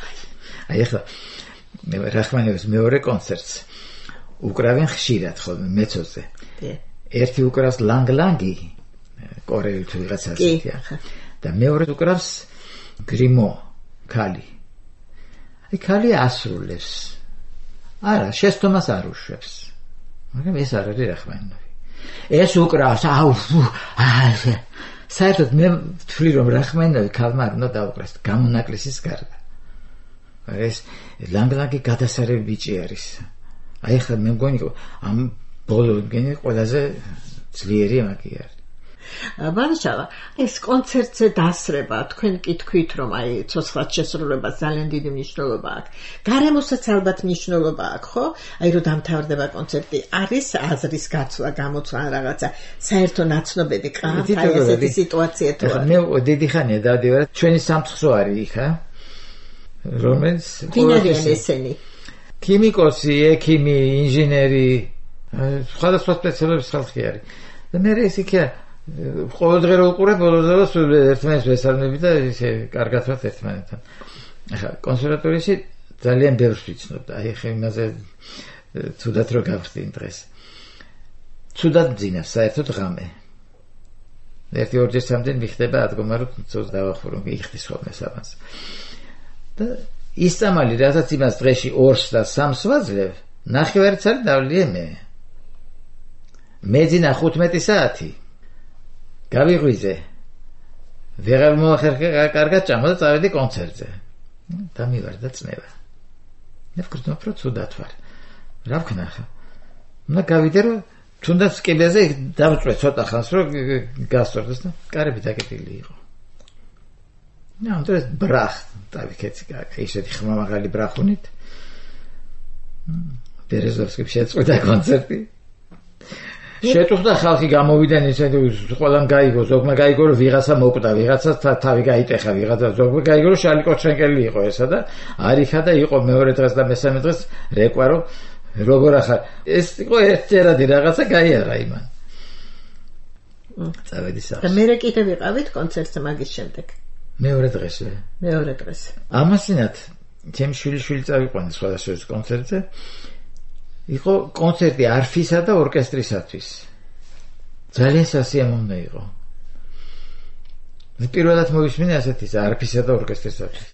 აი ახლა რახმანინოვის მეორე კონცერტს უკრავენ ხშირად ხოლმე მეცოზე. ერთი უკრავს ლანგ-ლანგი, კორეელი თუ ვიღაცა ასეთია. და მეორე უკრავს გრიმო, ქალი. აი ქალი ასრულებს. არა, შესტომას არ უშვებს. მაგრამ ეს არ არის რახმანინოვი. ეს უკრავს, აუ, საერთოდ მე ვთვლი რომ რახმანინოვი ქალმა არ უნდა დაუკრას გამონაკლისის გარდა. ეს ლანგ-ლანგი გადასარევი ბიჭი არის. აი ხა მე მგონი ამ ბოლო მგონი ყველაზე ძლიერი მაგი არის. ბანაშავა, ეს კონცერტზე დასრება, თქვენ კი თქვით რომ აი ცოცხლად შესრულებას ძალიან დიდი მნიშვნელობა აქვს. გარემოსაც ალბათ მნიშვნელობა აქვს, ხო? აი რომ დამთავრდება კონცერტი, არის აზრის გაცვლა, გამოცვლა ან რაღაცა საერთო ნაცნობები ყავთ აი ესეთი სიტუაცია თუ არა. მე დიდი ხანია დავდივარ, ჩვენი სამცხრო არის იქ, ა? რომელიც ვინ არიან ესენი? ქიმიკოსი, ექიმი, ინჟინერი, სხვადასხვა სპეციალობის ხალხი არის. და მე ეს იქა ყოველდღე რო უყურებ, ბოლოს ერთმანეთს ვესალმები და ისე კარგად ვართ ერთმანეთთან. ახლა კონსერვატორიაში ძალიან ბევრს ვიცნობ. აი ხე იმაზე თუდად რო გავხდინ დღეს. თუდად ძინავს საერთოდ ღამე. ერთი ორჯერ სამდენ მიხდება ადგომა რომ ცოტა დავახურო, იხდის ხოლმე საბანს. და ისწამალი რასაც იმას დღეში ორს და სამს ვაძლევ, ნახევარცალი დავლია მე. მეძინა ხუთმეტი საათი. გავიღვიძე. ვეღარ მოახერხა კარგად ჭამა და წავედი კონცერტზე. დამივარ და წნევა. მე ვქრთო რომ ცუდად ვარ. რა ვქნა ხა? უნდა გავიდე რომ თუნდაც კიბეზე დავწვე ცოტა ხანს რომ გასწორდეს და კარები დაკეტილი იყო. ნუ ამიტომ ბრახ დავიქეცი კარგი ისეთი ხმამაღალი ბრახუნით. ბერეზოვსკიმ შეწყვეტა კონცერტი. შეტუხდა ხალხი გამოვიდნენ ისეთი ყველამ გაიგო, ზოგმა გაიგო რომ ვიღაცა მოკვდა, ვიღაცა თავი გაიტეხა, ვიღაცა ზოგმა გაიგო რომ შალი კოჩრენკელი იყო ესა და არიხა და იყო მეორე დღეს და მესამე დღეს რეკვა რომ როგორ ახარ ეს იყო ერთჯერადი რაღაცა გაიარა იმან. წავედი სახლში. და მე კიდე ვიყავით კონცერტზე მაგის შემდეგ. მეორე დღესვე. მეორე დღეს. ამასინათ ჩემი შვილიშვილი წავიყვანე სხვადასხვა კონცერტზე. იყო კონცერტი არფისა და ორკესტრისათვის. ძალიან სასიამოვნო იყო. მე პირველად მოვისმინე ასეთი არფისა და ორკესტრისათვის.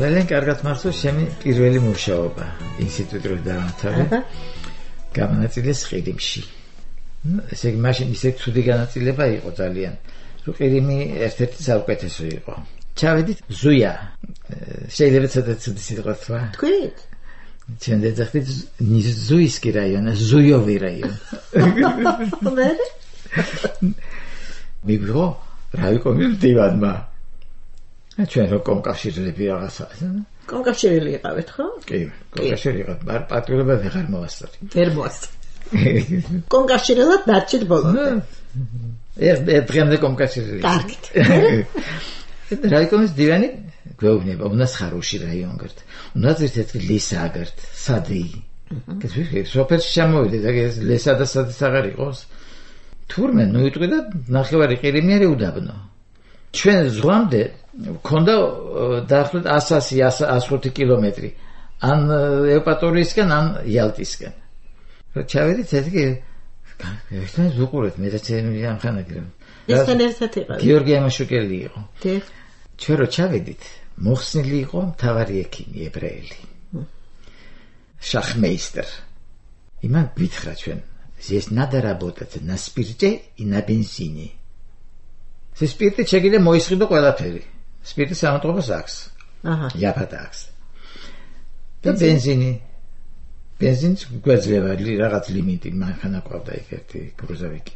ძალიან კარგად მახსოვს ჩემი პირველი მუშაობა ინსტიტუტში დაამთავრე. გამონაწილეს ყირიმში. ესე იგი მაშინ ისე ცუდი განაწილება იყო ძალიან. რომ ყირიმი ერთ-ერთი საუკეთესო იყო. ჩავედით ზუია. შეიძლება ცოტა ცუდი სიტყვა თქვა. თქვით? ჩვენ დეძახდით ზუისკი რაიონი, ზუიოვი რაიონი. მე მიგვიღო რა იყო მივდივადმა. ჩვენ რო კომკავშირები რაღაცა. კომკავშირელი იყავით, ხო? კი, კომკავშირელი იყო. არ პატრიოტობა ვეღარ მოვასწორი. ვერ მოვასწორი. კომკავშირელად დარჩით ბოლომდე. ეს დღემდე კომკავშირელი. კარგით. რაიკომის დივანი გვეუბნება, უნდას ხარუში რაიონ გერთ. უნდას ერთ-ერთი ლისა გერთ, სადი. კეთილი, სოფელში შემოვიდე და ეს ლისა და სადი აღარ იყოს. თურმე ნუ იტყვი და ნახევარი ყირიმი არის უდაბნო. ჩვენ ზღვამდე ქონდა დაახლოებით εκατს ხუთი კილომეტრი ან ევპატორიისკენ ან იალტისკენ. რა ჩავედით ეს კი ერთმანეთს ვუყურეთ მე და ჩემი ამხანაგრე. ესთან ერთად იყო. გიორგი ამაშუკელი იყო. დიახ. ჩვენ რო ჩავედით მოხსნილი იყო მთავარი ექიმი ებრაელი. შახმეისტერ. იმან გითხრა ჩვენ Здесь надо работать на спирте и на бензине. Се спирტი შეგიძლია მოისყიდო ყველაფერი. Спирტი სამატყობას აქვს. აჰა. იაფად აქვს. და бензине. Бензინს გვეძლება რაღაც ლიმიტი, მანქანა ყავდა იქ ერთი გრუზავიკი.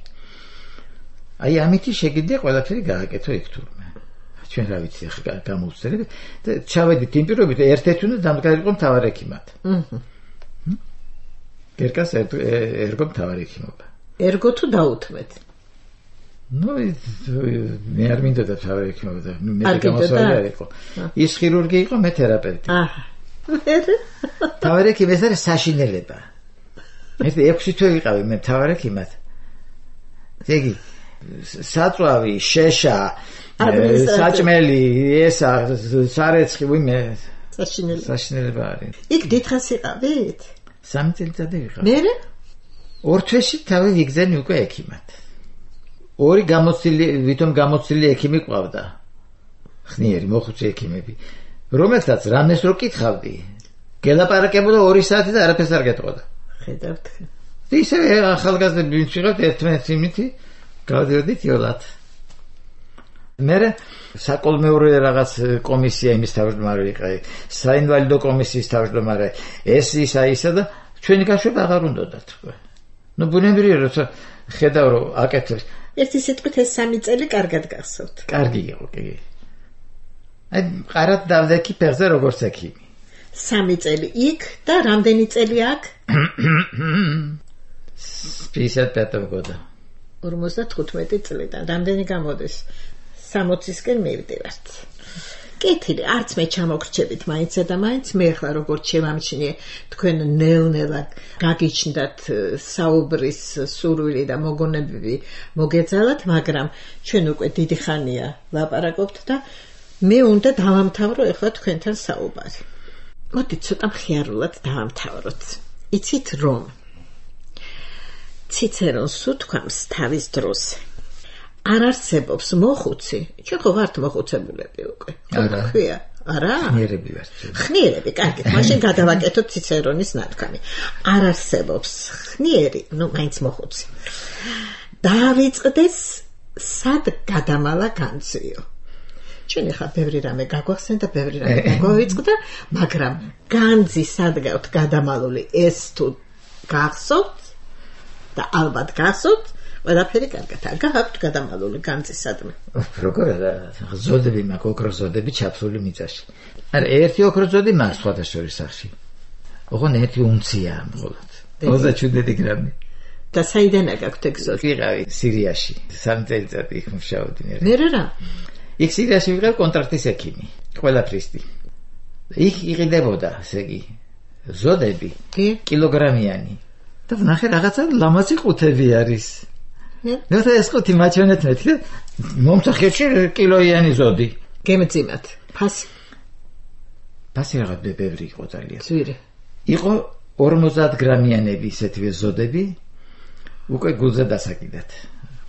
აი ამით შეგიძლია ყველაფერი გააკეთო იქ თურმე. ჩვენ რა ვიცი ხა გამოვწერეთ და ჩავედით იმ პირობით ერთ-ერთ უნდა დამდგარიყო მთავარ ექიმად. აჰა. გერკას ერგო მთავარ ექიმობა. ერგო თუ დაუთმეთ? ნუ მე არ მინდოდა მთავარ ექიმობა და მე გამოსვლა იყო. ის ხირურგი იყო, მე თერაპევტი. აჰა. მთავარ ექიმი ეს არის საშინელება. ეს ექვსი თვე ვიყავი მე მთავარ ექიმად. ზეგი საწვავი, შეშა, საჭმელი, ესა, სარეცხი, ვიმე საშინელება. საშინელება არის. იქ დიდხანს იყავით? სამი წელიწადი ვიყავი. მერე? ორ თვეში თავი ვიგზენი უკვე ექიმად. ორი გამოცილი, ვითომ გამოცილი ექიმი ყავდა. ხნიერი მოხუცი ექიმები. რომელსაც რამეს რო კითხავდი, გელაპარაკებოდა ორი საათი და არაფერს არ გეტყოდა. ხედავთ. ისე ახალგაზრდები ვინც ვიყავთ ერთმანეთს იმითი გავდიოდით იოლად. მერე საკოლმეურე რაღაც კომისია იმის თავმჯდომარე ვიყავი, საინვალიდო კომისიის თავმჯდომარე, ეს ისა ისა და ჩვენი გაშვება აღარ უნდათ თქვა. ნუ ბუნებრივია როცა ხედავ რომ აკეთებს. ერთი სიტყვით ეს სამი წელი კარგად გახსოვთ. კარგი იყო, კი. აი ყარად დავდექი ფეხზე როგორც ექიმი. სამი წელი იქ და რამდენი წელი აქ? пятьдесят пятого года. ორმოცდათხუთმეტი წლიდან. რამდენი გამოდის? სამოცისკენ მივდივართ. კეთილი, არც მე ჩამოგრჩებით მაინცსა და მაინც მე ახლა როგორც შევამჩნიე თქვენ ნელ-ნელა გაგიჩნდათ საუბრის სურვილი და მოგონებები მოგეძალათ, მაგრამ ჩვენ უკვე დიდი ხანია ლაპარაკობთ და მე უნდა დავამთავრო ახლა თქვენთან საუბარი. მოდით ცოტა მხიარულად დავამთავროთ. იცით რომ ციცერონს უთქვამს თავის დროს არ არსებობს მოხუცი, ჩვენ ხო ვართ მოხუცებულები უკვე. არა. ქვია, არა? ხნიერები ვართ. ხნიერები, კარგით, მაშინ გადავაკეთოთ ციცერონის ნათქვამი. არ არსებობს ხნიერი, ნუ მაინც მოხუცი. დავიწყდეს სად გადამალა განცვიო. ჩვენ ახლა ბევრი რამე გაგვახსენდა და ბევრი რამე გაგვავიწყდა, მაგრამ განძი სად გავთ გადამალული ეს თუ გახსოვთ და ალბათ გახსოვთ, ყველაფერი კარგად გააქვთ გადამალული განძი სადმე. როგორ ზოდები მაქვს, ოქროს ზოდები ჩაფსული მიწაში. არა, ერთი ოქროს ზოდი მაქვს სხვადასხვა სახში. ოღონდ ერთი უნცია მხოლოდ. ოცდაშვიდი გრამი. და საიდან გაქვთ ეგ ზოდი? ვიყავი სირიაში. სამი წელიწადი იქ მუშაობდი მე. მე რა? იქ სირიაში ვიყავ კონტრაქტის ექიმი. ყველაფრისთი. იქ იყიდებოდა, ესე იგი, ზოდები კილოგრამიანი. და ვნახე რაღაცა ლამაზი ყუთები არის. ნუ ეს ყუთი მაჩვენეთ მეთქე. მომწახეთში კილოიანი ზოდი. გემძიმათ. ფასი. ფასი რაღაც ბევრი იყო ძალიან. ძვირი. იყო ორმოცდაათ გრამიანები ისეთივე ზოდები. უკვე გულზე დასაკიდათ.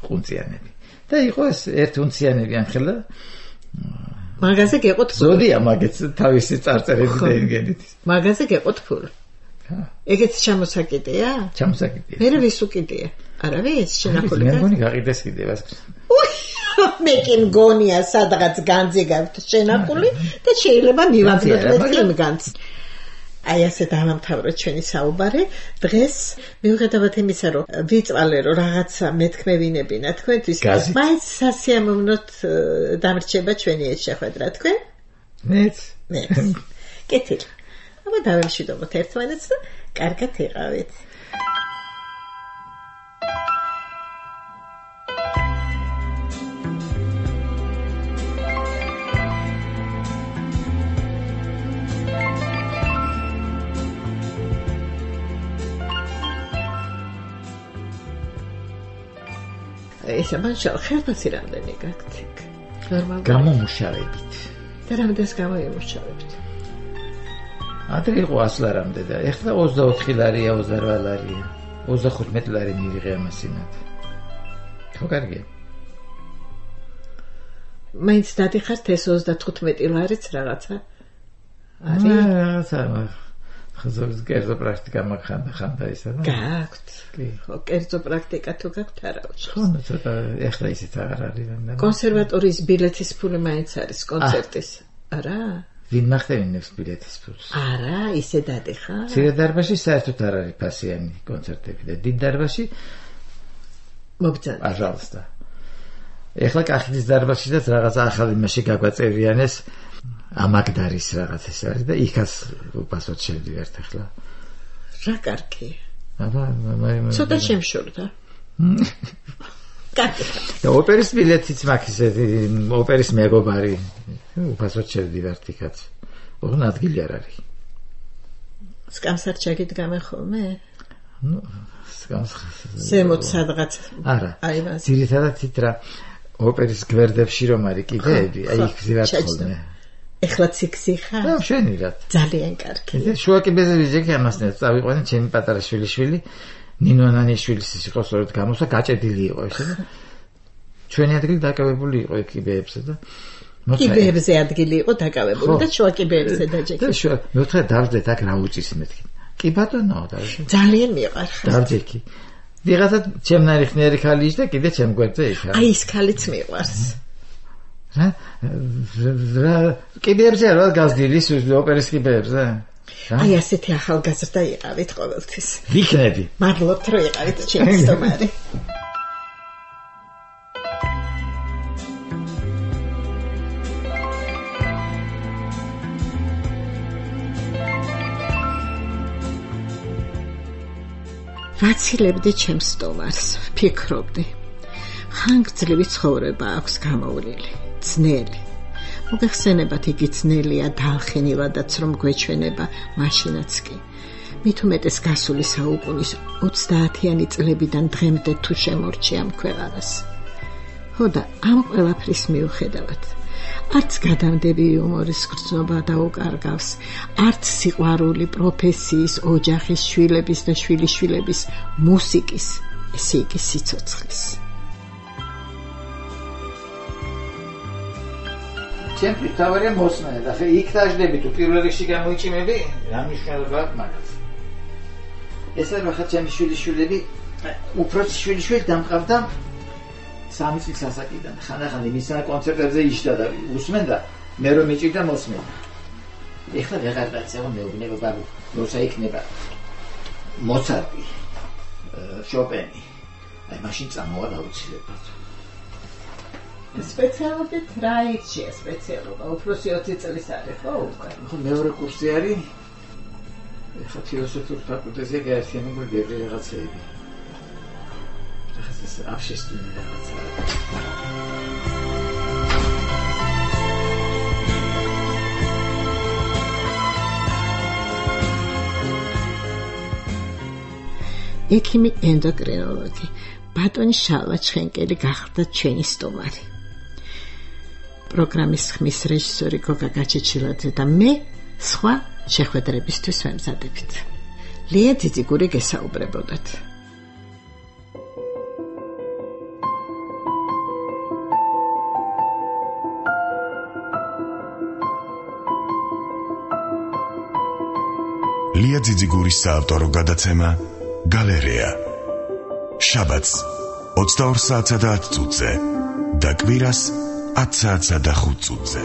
ყუნწიანები. და იყო ეს ერთ უნციანები ამხელა. მაგაზე გეყოთ ფული. ზოდია მაგეც თავისი წარწერები და იმგენით. მაგაზე გეყოთ ფული. ჰა. ეგეც ჩამოსაკიდეა? ჩამოსაკიდეა. მე ვის უკიდეა? არავის შენახული მე მგონი გაყიდეს კიდევ. მე კი მგონია სადღაც განძი გაქვთ შენახული და შეიძლება მივაგდოთ მეთქიმ განძს. აი ასე დავამთავროთ ჩვენი საუბარი. დღეს მიუხედავად იმისა, რომ ვიწვალე რომ რაღაცა მეთქმევინებინა თქვენთვის, მაინც სასიამოვნოთ დამრჩება ჩვენი ეს შეხვედრა თქვენ? მეც. მეც. კეთილი. აბა დავემშვიდობოთ ერთმანეთს და კარგად იყავით. ესე მაშინ ხელფასი რამდენი გაქვთ? ნორმალურად. გამომუშავებით. და რამდენს გამოიმუშავებთ? ადრე იყო ასი ლარამდე და ეხლა ოცდაოთხი ლარია, ოცდაოთხ ლარია. ოცდახუთმეტი ლარი მივიღე ამასინად. ხო კარგია. მაინც დადიხართ ეს ოცდათხუთმეტი ლარიც რაღაცა? არის რაღაცა ხაზობის კერძო პრაქტიკა მაგხანდა ხანდა ისა და გააქვთ. კი. ხო, კერძო პრაქტიკა თუ გაქვთ არა უშავს. ხო, ცოტა ეხლა ისიც აღარ არის. კონსერვატორიის ბილეთის ფული მაინც არის კონცერტის. არა? ვინ მახდენებს ბილეთის ფულს? არა, ისე დადიხარ? მცირე დარბაზში საერთოდ არ არის ფასიანი კონცერტები და დიდ დარბაზში მოგწადე. პაჟალსტა. ეხლა კახეთის დარბაზშიც რაღაც ახალი მასში გაგვაწერიანეს ამაგდარის რაღაც ეს არის და იქაც უპასოდ შევდივართ ახლა. რა კარგი. აბა, მამა. ცოტა შემშორდა. კარგი. და ოპერის ბილეთიც მაქვს ისეთი ოპერის მეგობარი. უპასოდ შევდივართ იქაც. ოღონდ ადგილი არ არის. სკამსად ჩაგიდგამე ხოლმე? ნუ, სკამს. ზემოთ სადღაც. არა. აი მას. ძირითადად თით რა ოპერის გვერდებში რომ არის კიდეები, აი იქ ვზივართ ხოლმე. ეხლა ციკსი ხარ? და შენირად. ძალიან კარგი. შუა კიბეზე ჯექი ამასნე წავიყვანე ჩემი პატარა შვილიშვილი ნინო ნანიშვილის იყო სწორედ გამოსა გაჭედილი იყო ესე და ჩვენი ადგილი დაკავებული იყო კიბეებზე და კიბეებზე ადგილი იყო დაკავებული და შუა კიბეებზე დაჯექი. და შუა მეოთხე დავждეთ აქ რა უწის მეთქი. კი ბატონო და ძალიან მიყვარხარ. დავჯექი. ვიღაცა ჩემნარი ხნიერი ხალი ის და კიდე ჩემ გვერდზე იქა. აი ის ხალიც მიყვარს. რა რა კიბეებზე რა გაზდილი ოპერის კიბეებზე? აი ასეთი ახალგაზრდა იყავით ყოველთვის. ვიქნები. მადლობთ რომ იყავით ჩემი სტუმარი. ვაცილებდი ჩემს სტუმარს, ვფიქრობდი. ხანგრძლივი ცხოვრება აქვს გამოვლილი, ძნელი. მოგეხსენებათ იგი ძნელია დალხინილადაც რომ გვეჩვენება მაშინაც კი. მით უმეტეს გასული საუკუნის ოცდაათიანი წლებიდან დღემდე თუ შემორჩია ამ ქვეყანას. ხო და ამ ყველაფრის მიუხედავად არც გადამდები იუმორის გრძნობა დაუკარგავს, არც სიყვარული პროფესიის, ოჯახის, შვილების და შვილიშვილების, მუსიკის, ესე იგი სიცოცხლის. ჩემთვის თავარია მოსმენა და ხე იქ დაждები თუ პირველ რიგში გამოიჭიმები, რა მნიშვნელობა აქვს მაგას. ეს რა ხა ჩემი შვილიშვილები, უბრალოდ შვილიშვილი დამყავდა სამი წლის ასაკიდან. ხანდახან იმისა კონცერტებზე იშდა და უსმენდა, მე რომ მიჭირდა მოსმენა. ეხლა ვეღარ დაწევა მეუბნება ბაბუ, როცა იქნება მოცარტი, შოპენი. აი მაშინ წამოვა დაუცილებლად. სპეციალობით რა იქცია სპეციალობა? უფროსი ოცი წლის არის ხო უკვე? ხო მეორე კურსი არის. ეხლა ფილოსოფიურ ფაკულტეტზე გაერთიანებული ბევრი რაღაცეები. ეს აფშესტინი რაღაცა. ექიმი ენდოკრინოლოგი ბატონი შალვა ჩხენკელი გახდა ჩვენი სტუმარი. პროგრამის ხმის რეჟისორი გოგა გაჩეჩილაძე და მე სხვა შეხვედრებისთვის ვემზადებით. ლია ძიძიგური გესაუბრებოდათ. ლია ძიძიგურის საავტორო გადაცემა გალერეა. შაბათს ოცდაორ საათსა და ათ წუთზე და კვირას ათ საათსა და ხუთ წუთზე.